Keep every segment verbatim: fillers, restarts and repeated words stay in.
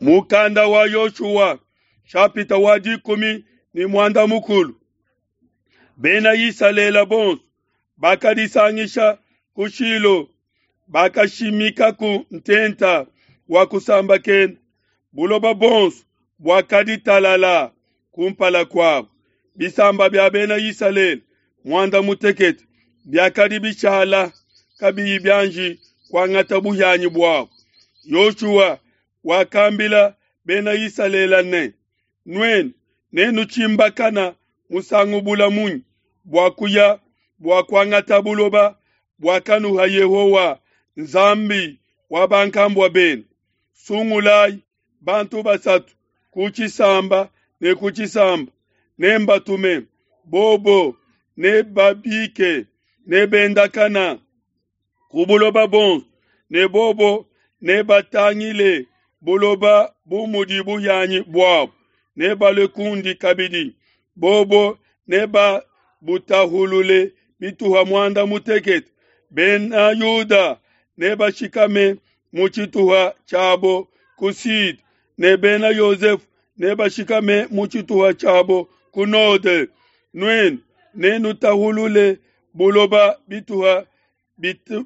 Mukanda wa Yoshua nshapita wa dikumi ne muanda mukulu. Bena Isalele bonso bakadisangisha ku Shilo, bakashimikaku ntenta wa kusambakena. Buloba buonso buakadi talala kumpala kuabo. Bisamba bia Bena Isalele muanda mutekete biakadi bishala kabiyi bianji kuangata buhianyi buabo. Yoshua wakambila Bena Isalele ne, Nuenu nenutshimbakana musangu bule munyi bua kuya bua kuangata buloba buakanuha Yehowa, Nzambi wa bankambua benu? Sungulai bantu basatu ku tshisamba ne ku tshisamba, nembatume, bobo nebabike, nebendakana ku buloba buonso, ne bobo nebatangile buloba bu mudi buhianyi buabo, nebalue kundi kabidi, bobo nebabutahulule bituha muanda mutekete. Bena Yuda nebashikame mu tshituha tshiabo ku Sude, ne Bena Yosefe nebashikame mu tshituha tshiabo ku node. Nuenu nenutahulule buloba bituha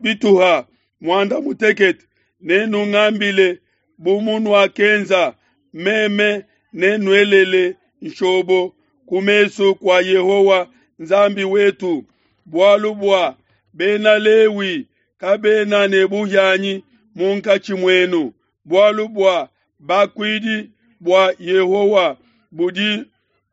bituha muanda mutekete, nenungambile bu munuakenza, meme nenuelele nshobo ku mesu kua Yehowa Nzambi wetu, bualu bua Bena Lewi kabena ne buhianyi munkatshi muenu, bualu bua bakuidi bua Yehowa budi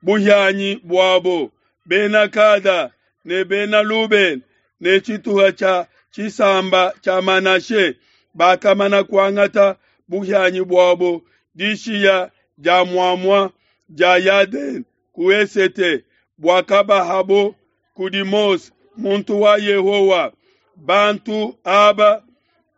buhianyi buabo. Bena Gada ne Bena Lubena ne tshituha tshia tshisamba tshia Manashe bakamana kuangata buhianyi buabo dishiya dia muamua dia Yadene ku esete, buakabahabo kudi Mose muntu wa Yehowa. Bantu aba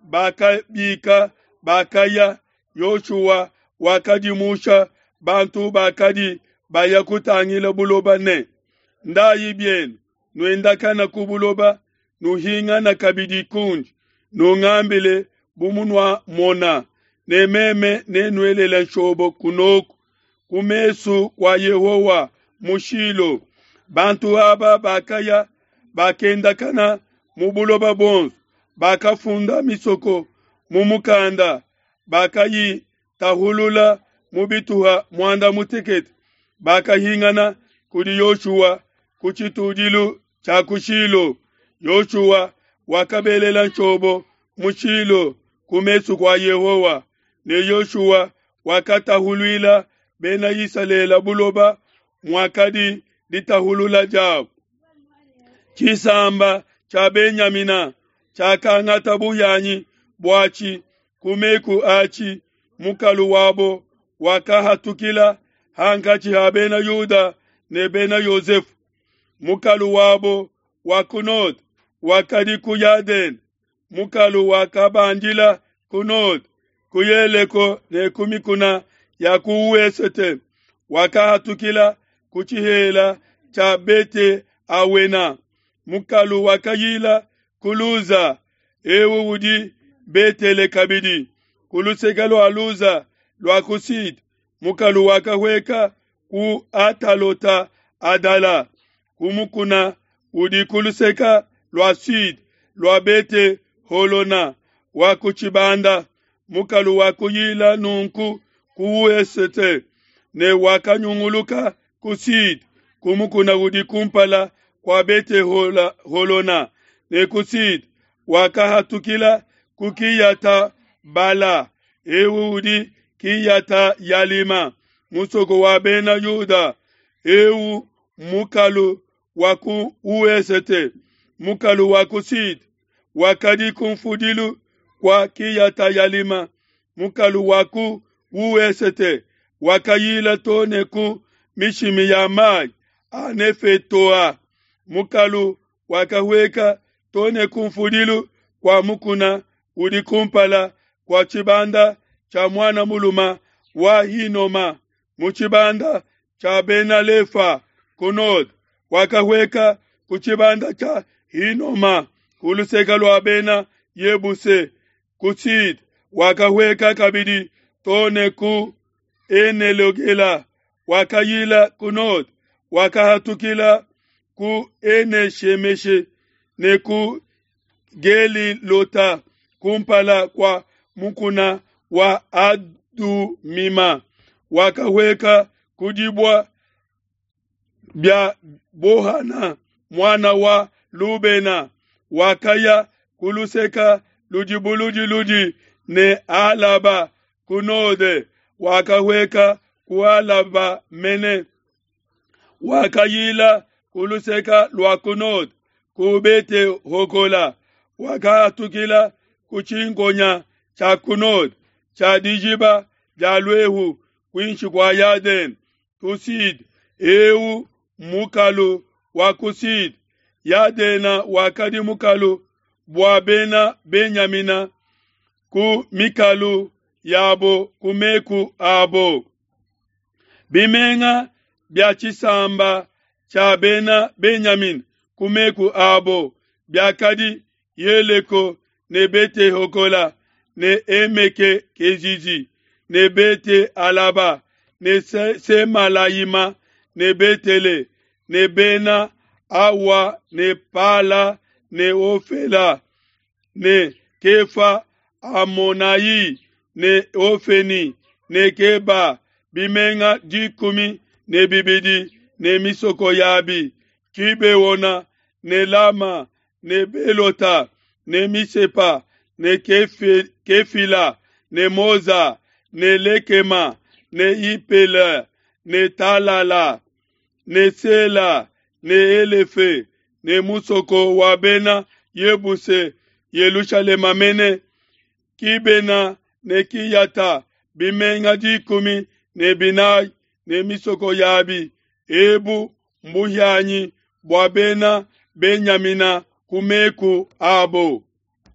bakabika, bakaya. Yoshua wakadimusha bantu bakadi baya kutangila buloba ne, Ndayi bienu, nuendakana ku buloba, nuhingana kabidi kundi, nungambile bu munuamona, ne meme nenuelele nshobo kunoku ku mesu kua Yehowa mu Shilo. Bantu aba bakaya, bakendakana mu buloba buonso, bakafunda misoko mu mukanda, bakayitahulula mu bituha muanda mutekete. Bakahingana kudi Yoshua ku tshitudilu tshia ku Shilo. Yoshua wakabelela nshobo mu Shilo ku mesu kua Yehowa, ne Yoshua wakatahuluila Bena Isalele buloba muakadi ditahulula diabo. Tshisamba tshia Benyamina tshiakangata buhianyi buatshi ku meku atshi. Mukalu wabo wakahatukila hankatshi ha Bena Yuda ne Bena Yosefe. Mukalu wabo wa ku node wakadi ku Yadene, mukalu wakabandila ku node ku Yeleko ne ku mikuna ya ku wesete, wakahatukila ku tshihela tshia Bete Awena. Mukalu wakayila ku Luza, ewu udi Betele kabidi, ku luseke lua Luza lua ku Sud. Mukalu wakahueka ku Atalota Adala, ku mukuna udi ku luseke lua Sud lua Bete Holona wa ku tshibanda. Mukalu wakuyila nunku ku wesete ne wakanyunguluka ku Sud ku mukuna udi kumpala kua Bete Holona ne ku Sud wakahatukila ku Kiyata Bala, ewu udi Kiyata Yalima, musoko wa Bena Yuda. Ewu mukalu wa ku wesete. Mukalu wa ku Sud wakadi ku mfudilu kua Kiyata Yalima. Mukalu wa ku wesete wakayila to ne ku mishimi ya mai a Nefetoa. Mukalu wakahueka to ne ku mfudilu kua mukuna udi kumpala kua tshibanda tshia muana muluma wa Hinoma, mu tshibanda tshia Bena Lefa ku node. Wakahueka ku tshibanda tshia Hinoma ku luseke lua Bena Yebuse ku Sud. Wakahueka kabidi to ne ku Enelogela, wakayila ku node, wakahatukila ku Ene-shemeshe ne ku Gelilota kumpala kua mukuna wa Adumima, wakahueka ku dibue bia Bohana muana wa Lubena, wakaya ku luseke ludi buludiludi ne Alaba ku node, wakahueka ku Alaba mene, wakayila ku luseke lua ku node ku Bete-hogola, wakahatukila ku tshinkonya tshia ku node tshia dijiba dia luehu kuinshi kua Yadene ku sud. Eu mmukalu wa ku sud. Yadena wakadi mukalu bua bena Benyamina ku mikalu yabo ku meku abo. Bimenga bia tshisamba tshia bena Benyamina ku meku abo biakadi Yeleko ne Bete-hogola ne Emeke Kezizi ne Bete Alaba ne Semalayima ne Betele ne Bena Awa ne Pala ne Ofela ne Kefa Amonayi ne Ofeni ne Keba, bimenga dikumi ne bibidi ne misoko yabi, Gibeona ne Lama ne Belota ne Misepa ne Kefe, Kefila ne Moza ne Lekema ne Ipele ne Talala ne Sela ne Elefe ne musoko wa bena Yebuse Yelushalema mene, Kibena ne Kiyata, bimenga dikumi ne binayi ne misoko yabi. Ebu mbuhianyi bua bena Benyamina ku meku abo.